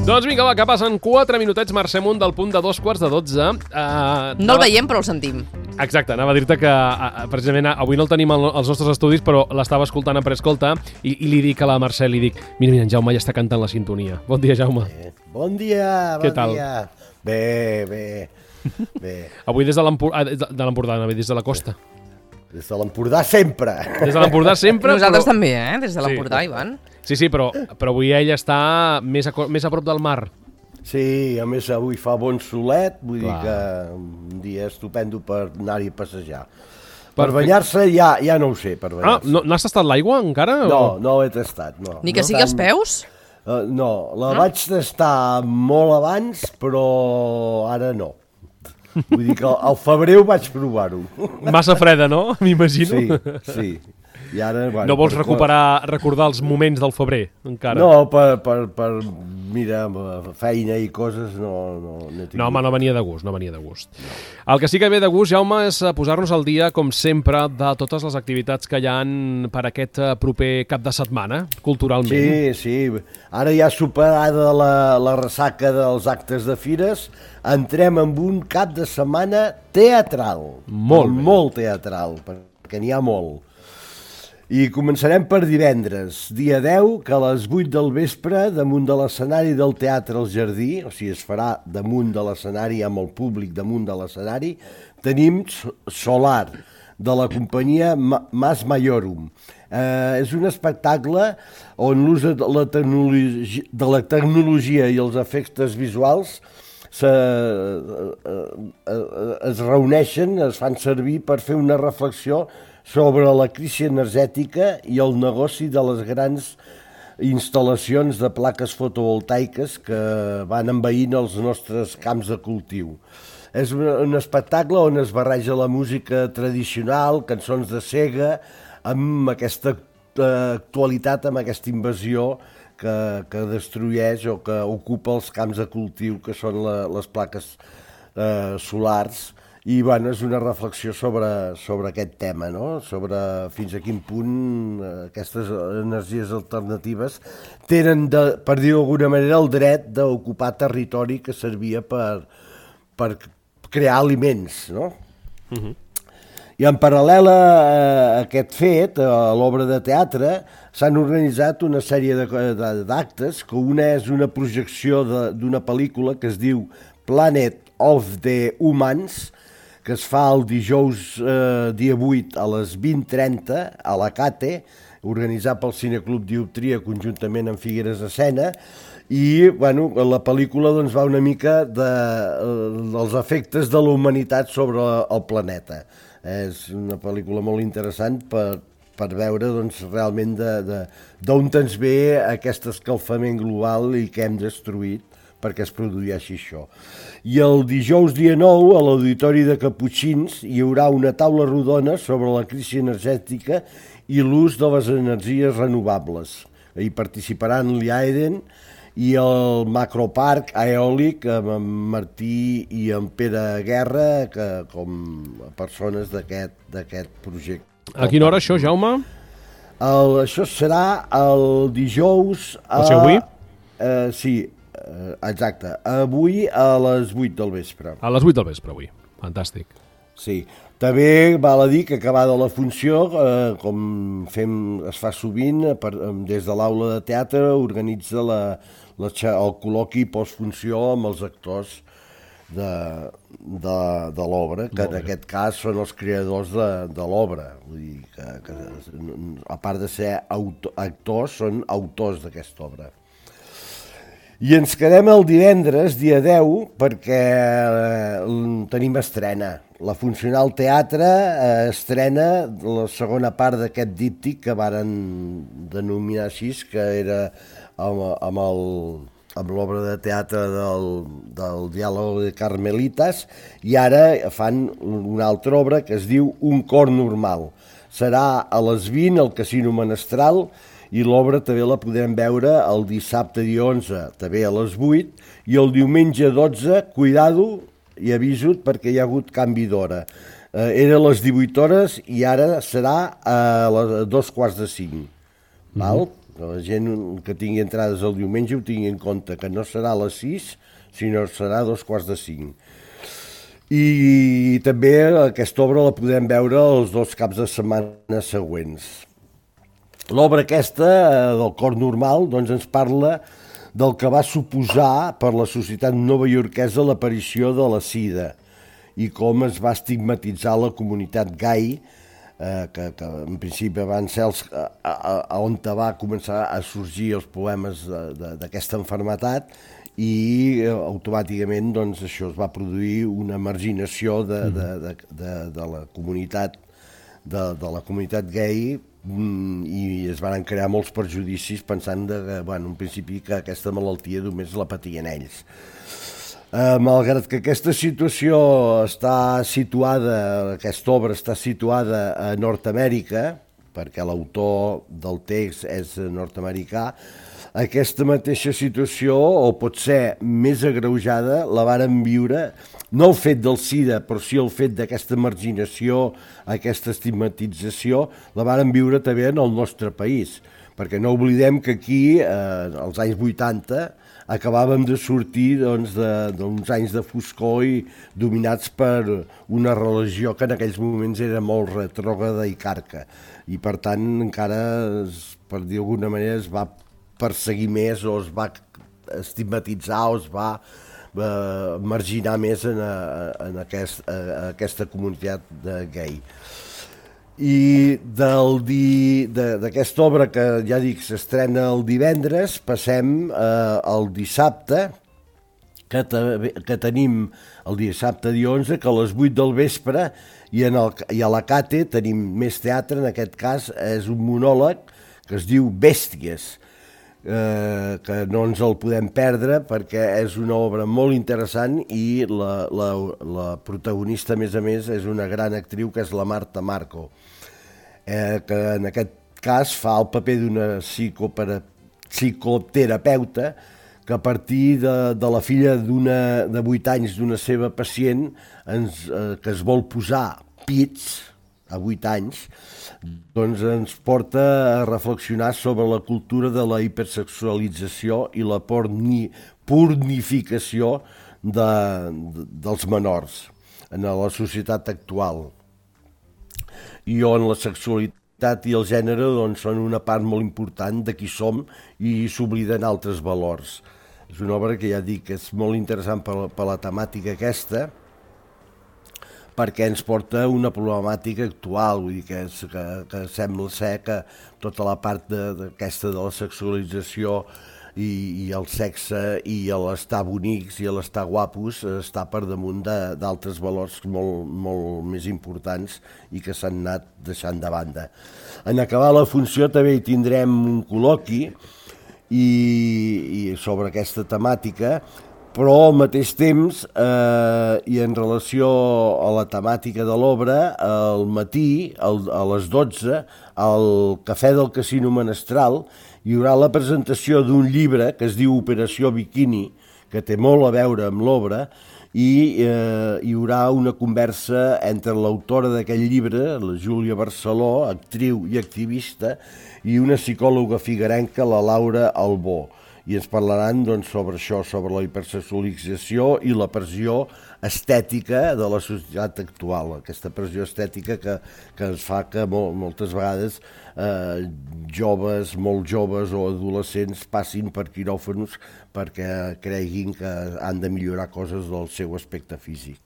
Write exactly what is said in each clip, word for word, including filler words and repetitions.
Doncs vinga, va, que passen quatre minutets, marxem un del punt de dos quarts de dotze. Uh, no el veiem, però el sentim. Exacte, anava a dir-te que uh, precisament avui no el tenim als nostres estudis, però l'estava escoltant a Preescolta i, i li dic a la Mercè, li dic, mira, mira, en Jaume ja està cantant la sintonia. Bon dia, Jaume. Bé. Bon dia, bon Què tal? dia. Bé, bé, bé. Avui des de l'Empordà, de l'Empordà, des de la costa. Des de l'Empordà sempre. Des de l'Empordà sempre, Nosaltres però... també, eh? Des de l'Empordà, Sí. Ivan. Sí, sí, però, però avui ell està més a, més a prop del mar. Sí, a més avui fa bon solet, vull Clar. dir que un dia estupendo per anar-hi a passejar. Per Perfecte. banyar-se ja, ja no ho sé, per Ah, banyar-se. no, n'has tastat l'aigua encara? no, O... no he tastat, no. Ni que no sigui als peus? Uh, no, la ah? vaig tastar molt abans, però ara no. Vull dir que al, al febrer ho vaig provar-ho. Massa freda, no? M'imagino. Sí, sí. I ara, bueno, No vols per- recuperar, recordar els moments del febrer, encara? No, per, per, per mira, feina i coses no, no, no he tingut. No, home, no venia de gust, no venia de gust. El que sí que ve de gust, Jaume, és eh, posar-nos al dia, com sempre, de totes les activitats que hi han per aquest eh, proper cap de setmana, culturalment. Sí, sí. Ara ja superada la, la ressaca dels actes de fires, entrem en un cap de setmana teatral. Molt bé. Molt teatral, perquè n'hi ha molt. I començarem per divendres, dia deu, que a les vuit del vespre, damunt de l'escenari del Teatre al Jardí, o sigui, es farà damunt de l'escenari, amb el públic damunt de l'escenari, tenim Solar, de la companyia Mas Maiorum. Eh, és un espectacle on l'ús de la tecnologia, de la tecnologia i els efectes visuals se, eh, eh, es reuneixen, es fan servir per fer una reflexió sobre la crisi energètica i el negoci de les grans instal·lacions de plaques fotovoltaiques que van envaint els nostres camps de cultiu. És un, un espectacle on es barreja la música tradicional, cançons de Sega, amb aquesta eh, actualitat, amb aquesta invasió que, que destrueix o que ocupa els camps de cultiu, que són la, les plaques eh, solars. I bueno, és una reflexió sobre, sobre aquest tema, no? Sobre fins a quin punt aquestes energies alternatives tenen, de, per dir-ho d'alguna manera, el dret d'ocupar territori que servia per, per crear aliments, no? Uh-huh. I en paral·lel a aquest fet, a l'obra de teatre, s'han organitzat una sèrie d'actes, que una és una projecció d'una pel·lícula que es diu Planet of the Humans, que es fa el dijous eh, dia vuit a les vint trenta a la Cate, organitzat pel Cineclub Dioptria conjuntament amb Figueres Escena, i bueno, la pel·lícula doncs, va una mica de, eh, dels efectes de la humanitat sobre el planeta. És una pel·lícula molt interessant per, per veure doncs, realment d'on ens ve aquest escalfament global i que hem destruït perquè es produeixi això. I el dijous dia nou, a l'Auditori de Caputxins, hi haurà una taula rodona sobre la crisi energètica i l'ús de les energies renovables. Hi participaran l'I A E D E N i el Macroparc Eòlic amb en Martí i en Pere Guerra que, com a persones d'aquest projecte. A quina hora això, Jaume? El, això serà el dijous... A, o sigui, avui? Eh, sí, exacte. Avui a les vuit del vespre. A les vuit del vespre, avui. Fantàstic. Sí. També val a dir que acabada la funció, eh, com fem, es fa sovint, per, des de l'aula de teatre, organitza la, la, el col·loqui postfunció amb els actors de, de, de l'obra, que en aquest cas són els creadors de, de l'obra. Vull dir que, que, a part de ser auto, actors, són autors d'aquesta obra. I ens quedem el divendres, dia deu, perquè eh, tenim estrena. La Funcional Teatre eh, estrena la segona part d'aquest díptic que varen denominar així, que era amb, amb, el, amb l'obra de teatre del, del Diàleg de Carmelites, i ara fan una altra obra que es diu Un cor normal. Serà a les vint al Casino Menestral, i l'obra també la podrem veure el dissabte dia onze, també a les vuit, i el diumenge dotze, cuidado, i avisa't perquè hi ha hagut canvi d'hora. Eh, era a les divuit hores i ara serà a les dos quarts de cinc. Val? Mm-hmm. Que la gent que tingui entrades el diumenge ho tingui en compte, que no serà a les sis, sinó serà a dos quarts de cinc. I també aquesta obra la podem veure els dos caps de setmana següents. L'obra aquesta, del cor normal, doncs ens parla del que va suposar per la societat novaiorquesa l'aparició de la sida i com es va estigmatitzar la comunitat gai, eh, que, que en principi van ser els, a, a, a on va començar a sorgir els problemes d'aquesta malaltia, i eh, automàticament doncs, això es va produir una marginació de, de, de, de, de la comunitat de, de la comunitat gai, i es van crear molts perjudicis pensant que, bueno, en principi que aquesta malaltia només la patien ells. Eh, malgrat que aquesta situació està situada, aquesta obra està situada a Nord-Amèrica, perquè l'autor del text és nord-americà, aquesta mateixa situació, o pot ser més agreujada, la varen viure, no el fet del SIDA, però sí el fet d'aquesta marginació, aquesta estigmatització, la varen viure també en el nostre país, perquè no oblidem que aquí, eh, als anys vuitanta, acabàvem de sortir doncs, d'uns anys de foscor i dominats per una religió que en aquells moments era molt retrògrada i carca. I per tant encara, per dir d'alguna manera, es va perseguir més o es va estigmatitzar o es va eh, marginar més en, en aquest, a aquesta comunitat de gai. I d'aquesta obra que ja dic s'estrena el divendres, passem eh, al dissabte, que, te, que tenim el dissabte dia onze, que a les vuit del vespre, i, en el, i a la Cate tenim més teatre, en aquest cas és un monòleg que es diu Bèsties, eh, que no ens el podem perdre perquè és una obra molt interessant i la, la, la protagonista, a més a més, és una gran actriu que és la Marta Marco, eh, que en aquest cas fa el paper d'una psicoterapeuta que a partir de, de la filla d'una de vuit anys d'una seva pacient ens, eh, que es vol posar pits a vuit anys, doncs ens porta a reflexionar sobre la cultura de la hipersexualització i la porni, pornificació de, de, dels menors en la societat actual, i on la sexualitat i el gènere doncs, són una part molt important de qui som i s'obliden altres valors. És una obra que ja dic que és molt interessant per, per la temàtica aquesta, perquè ens porta una problemàtica actual, vull dir que, és, que, que sembla ser que tota la part d'aquesta de, de la sexualització i, i el sexe i l'estar bonics i l'estar guapos està per damunt d'altres valors molt, molt més importants i que s'han anat deixant de banda. En acabar la funció també hi tindrem un col·loqui i, i sobre aquesta temàtica, però al mateix temps, eh, i en relació a la temàtica de l'obra, al matí, al, a les dotze, al Cafè del Casino Menestral, hi haurà la presentació d'un llibre que es diu Operació Bikini, que té molt a veure amb l'obra, i eh, hi haurà una conversa entre l'autora d'aquest llibre, la Júlia Barceló, actriu i activista, i una psicòloga figuerenca, la Laura Albó. I ens parlaran doncs, sobre això, sobre la hipersexualització i la pressió estètica de la societat actual, aquesta pressió estètica que, que es fa que mol, moltes vegades eh, joves, molt joves o adolescents passin per quiròfans perquè creguin que han de millorar coses del seu aspecte físic.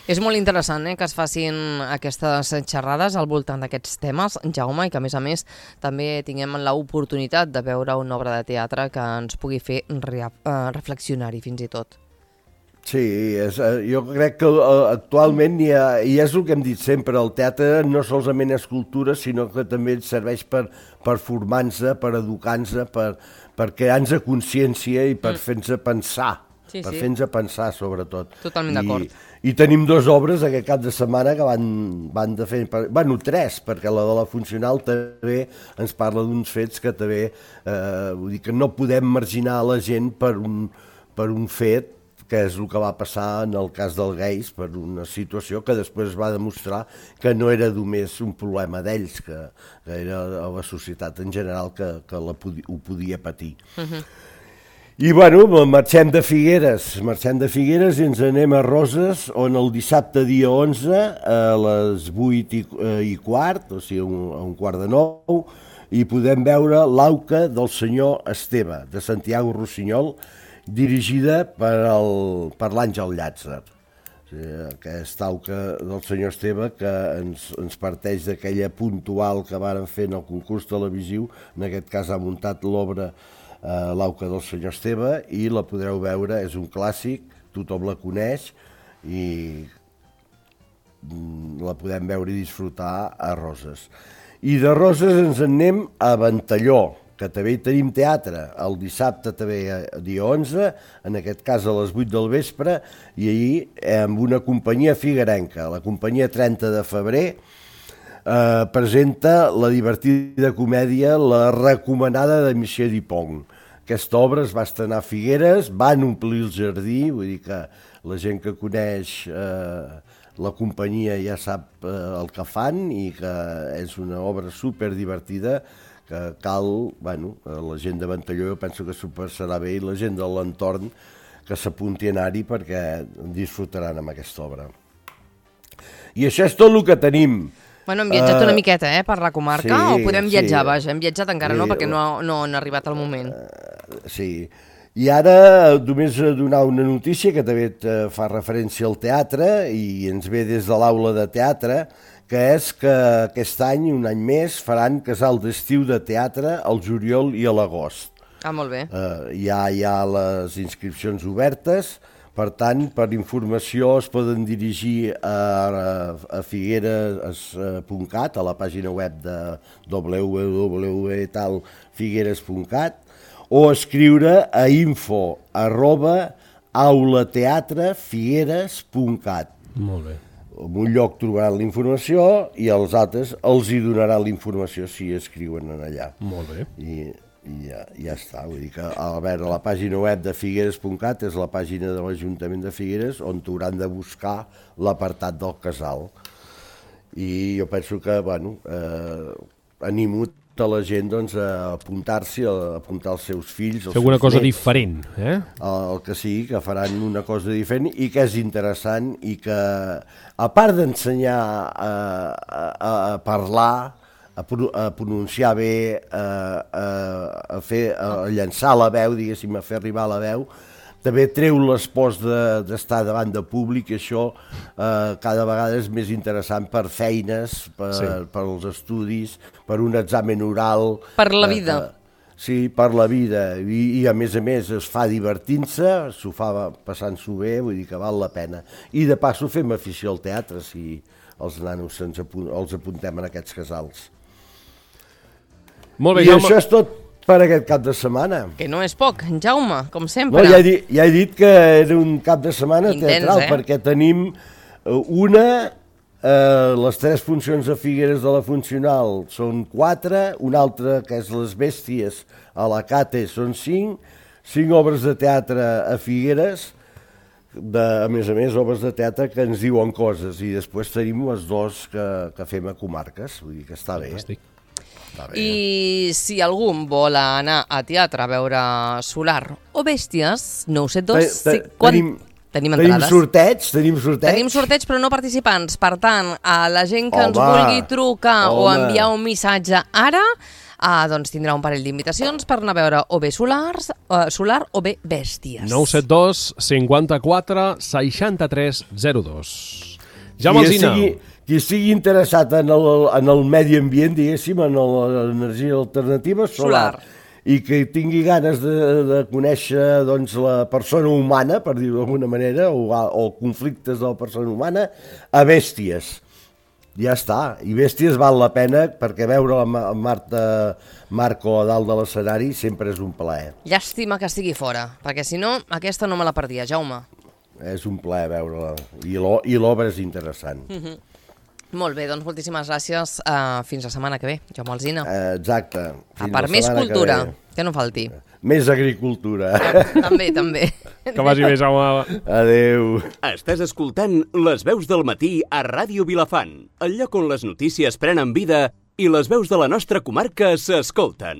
És molt interessant eh, que es facin aquestes xerrades al voltant d'aquests temes, Jaume, i que a més a més també tinguem l'oportunitat de veure una obra de teatre que ens pugui fer re reflexionar-hi fins i tot. Sí, és, jo crec que actualment hi ha, i és el que hem dit sempre, el teatre no solament és cultura, sinó que també serveix per, per formar-nos, per educar-nos, per, per crear-nos consciència i per mm. fer-nos pensar. Sí, per sí. fer-nos pensar, sobretot. Totalment d'acord. I, I tenim dues obres aquest cap de setmana que van, van de fer... Bueno, tres, perquè la de la funcional també ens parla d'uns fets que també... Eh, vull dir que no podem marginar la gent per un, per un fet que és el que va passar en el cas del Geis, per una situació que després va demostrar que no era només un problema d'ells, que, que era la societat en general que, que la podi, ho podia patir. Uh-huh. I bueno, marxem de Figueres, marxem de Figueres i ens anem a Roses, on el dissabte dia onze, a les vuit i, i quart, o sigui, un, a un quart de nou, i podem veure l'auca del senyor Esteve, de Santiago Rossinyol, dirigida per, el, per l'Àngel Llàtzer. O sigui, aquesta auca del senyor Esteve que ens, ens parteix d'aquella puntual que varen fer en el concurs televisiu, en aquest cas ha muntat l'obra eh, l'auca del senyor Esteve, i la podreu veure, és un clàssic, tothom la coneix, i la podem veure i disfrutar a Roses. I de Roses ens en anem a Ventalló, que també hi tenim teatre, el dissabte també dia onze, en aquest cas a les vuit del vespre, i ahir amb una companyia figuerenca, la companyia trenta de febrer, eh, presenta la divertida comèdia La recomanada de Michel Dupont. Aquesta obra es va estrenar a Figueres, van omplir el jardí, vull dir que la gent que coneix eh, la companyia ja sap eh, el que fan, i que és una obra superdivertida, que cal, bueno, la gent de Ventalló jo penso que s'ho passarà bé, i la gent de l'entorn que s'apunti a anar-hi perquè disfrutaran amb aquesta obra. I això és tot el que tenim. Bueno, hem viatjat uh, una miqueta, eh, per la comarca, sí, o podem viatjar, sí, vaja, hem viatjat encara sí, no, perquè no, no han arribat al moment. Uh, sí, i ara només donar una notícia que també fa referència al teatre, i ens ve des de l'aula de teatre, que és que aquest any, un any més, faran casal d'estiu de teatre al juliol i a l'agost. Ah, molt bé. Uh, hi ha, hi ha les inscripcions obertes, per tant, per informació es poden dirigir a, a figueres punt cat, a la pàgina web de w w w punt figueres punt cat, o escriure a info arroba aulateatrefigueres punt cat. Molt bé. En un lloc trobaran la informació i els altres els hi donaran la informació si escriuen en allà. Molt bé. I, i ja, ja està. Vull dir que, a veure, la pàgina web de figueres punt cat és la pàgina de l'Ajuntament de Figueres on t'hauran de buscar l'apartat del casal. I jo penso que, bueno, eh, animo a la gent doncs, a apuntar-s'hi, a apuntar els seus fills, els Fer alguna seus cosa nets, diferent, eh? El que sigui, que faran una cosa diferent i que és interessant, i que, a part d'ensenyar a, a, a parlar, a, pro, a pronunciar bé, a, a, a, fer, a llançar la veu, diguéssim, a fer arribar la veu, també treu l'espòs d'estar de, davant de públic, i això eh, cada vegada és més interessant per feines, per, sí. per als estudis, per un examen oral. Per la vida. Eh, sí, per la vida. I, i a més a més es fa divertint-se, s'ho fa passant-s'ho bé, vull dir que val la pena. I de passo fem afició al teatre, si els nanos ens apunt, els apuntem en aquests casals. Molt bé, I Jaume. això és tot per aquest cap de setmana. Que no és poc, Jaume, com sempre. No, ja, he dit, ja he dit que era un cap de setmana Intens, teatral, eh? Perquè tenim una, eh, les tres funcions de Figueres de la Funcional són quatre, una altra que és Les Bèsties a la Cate són cinc, cinc obres de teatre a Figueres, de, a més a més, obres de teatre que ens diuen coses, i després tenim les dos que, que fem a comarques, vull dir que està bé. Fantàstic. I si algú vol anar a teatre a veure Solar o Bèsties, nou set dos... Te, te, quan... Tenim, tenim entrades. Tenim sorteig, tenim sorteig. Tenim sorteig, però no participants. Per tant, a la gent que home, ens vulgui trucar home. o enviar un missatge ara, ah, doncs tindrà un parell d'invitacions per anar a veure o bé Solars, uh, Solar o bé Bèsties. nou set dos cinquanta-quatre seixanta-tres zero dos. Jaume Alsina. Sigui... Qui estigui interessat en el, en el medi ambient, diguéssim, en l'energia alternativa solar, solar, i que tingui ganes de, de conèixer doncs, la persona humana, per dir-ho d'alguna manera, o, o conflictes de la persona humana, a Bèsties. Ja està. I Bèsties val la pena, perquè veure la Marta Marco a dalt de l'escenari sempre és un plaer. Llàstima que estigui fora, perquè si no, aquesta no me la perdia, Jaume. És un plaer veure-la. I l'obra és interessant. Mhm. Molt bé, doncs moltíssimes gràcies. Uh, fins la setmana que ve, Jaume Alsina. Uh, exacte. Fins per més cultura, que, que no falti. Més agricultura. També, també. Que vagi bé, Jaume. Adéu. Estàs escoltant Les veus del matí a Ràdio Vilafant, el lloc on les notícies prenen vida i les veus de la nostra comarca s'escolten.